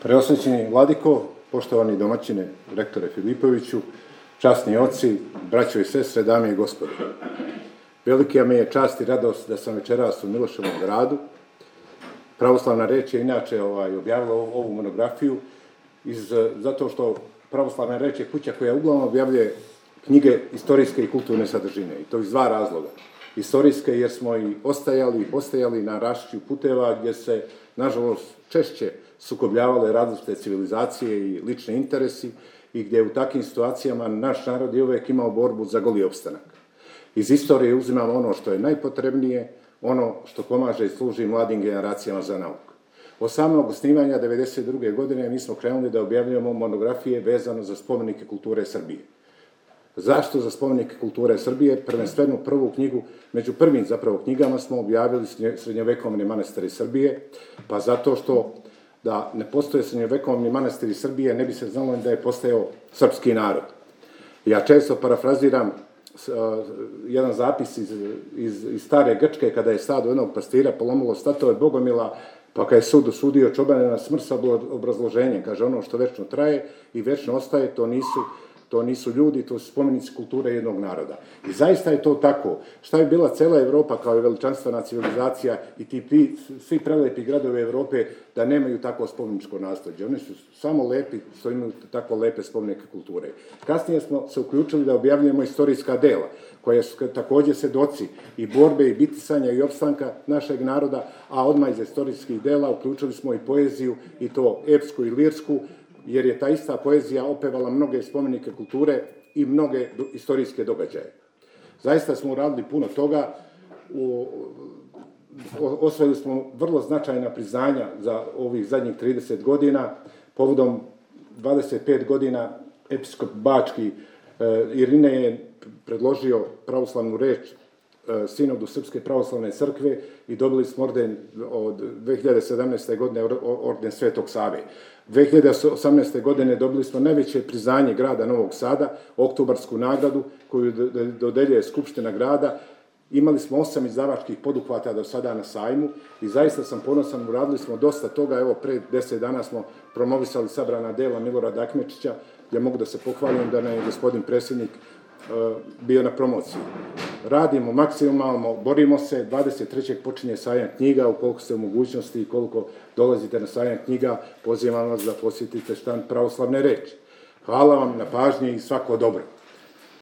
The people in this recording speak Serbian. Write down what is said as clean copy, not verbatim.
Preosvećeni vladiko, poštovani domaćine, rektore Filipoviću, časni oci, braćo i sestre, dame i gospodo. Velika mi je čast i radost da sam večeras u Miloševom gradu. Pravoslavna reč je inače objavila ovu monografiju zato što Pravoslavna reč je kuća koja uglavnom objavljuje knjige istorijske i kulturne sadržine, i to iz dva razloga. Istorijske jer smo i ostajali na rašću puteva gdje se, nažalost, češće sukobljavale različite civilizacije i lični interesi i gdje u takvim situacijama naš narod je uvijek imao borbu za goli opstanak. Iz istorije uzimamo ono što je najpotrebnije, ono što pomaže i služi mladim generacijama za nauku. Od samog osnivanja 1992. godine mi smo krenuli da objavljujemo monografije vezano za spomenike kulture Srbije. Zašto za spomenike kulture Srbije? Prvenstveno prvu knjigu, među prvim zapravo knjigama smo objavili srednjovekovne manastire Srbije, pa zato što da ne postoje srednjovekovni manastiri Srbije ne bi se znalo da je postojao srpski narod. Ja često parafraziram jedan zapis iz stare Grčke kada je stado jednog pastira polomilo statove Bogomila, pa kada je sud osudio čobane na smrt sa obrazloženjem, kaže ono što večno traje i večno ostaje, to nisu ljudi, to su spomenici kulture jednog naroda. I zaista je to tako. Šta je bila cela Evropa kao je veličanstvena civilizacija i ti svi prelepi gradovi Evrope da nemaju tako spomeničko nasleđe. Oni su samo lepi što imaju tako lepe spomenike kulture. Kasnije smo se uključili da objavljujemo istorijska dela, koja su također svedoci i borbe i bitisanja i opstanka našeg naroda, a odmah iz istorijskih dela uključili smo i poeziju, i to epsku i lirsku, jer je ta ista poezija opevala mnoge spomenike kulture i mnoge istorijske događaje. Zaista smo uradili puno toga, osvojili smo vrlo značajna priznanja za ovih zadnjih 30 godina, povodom 25 godina episkop Bački Irine je predložio pravoslavnu reč Sinodu Srpske pravoslavne crkve i dobili smo orden od 2017. godine, orden Svetog Save. 2018. godine dobili smo najveće priznanje grada Novog Sada, oktobarsku nagradu koju dodeljuje Skupština grada. Imali smo 8 izdavačkih poduhvata do sada na sajmu i zaista sam ponosan, uradili smo dosta toga. Evo, pre 10 dana smo promovisali sabrana dela Milorada Akmečića, gdje mogu da se pohvalim da nam je gospodin predsjednik bio na promociji. Radimo maksimalno, borimo se, 23. počinje sajam knjiga, ukoliko ste u mogućnosti i koliko dolazite na sajam knjiga, pozivam vas da posjetite štand Pravoslavne reči. Hvala vam na pažnji i svako dobro.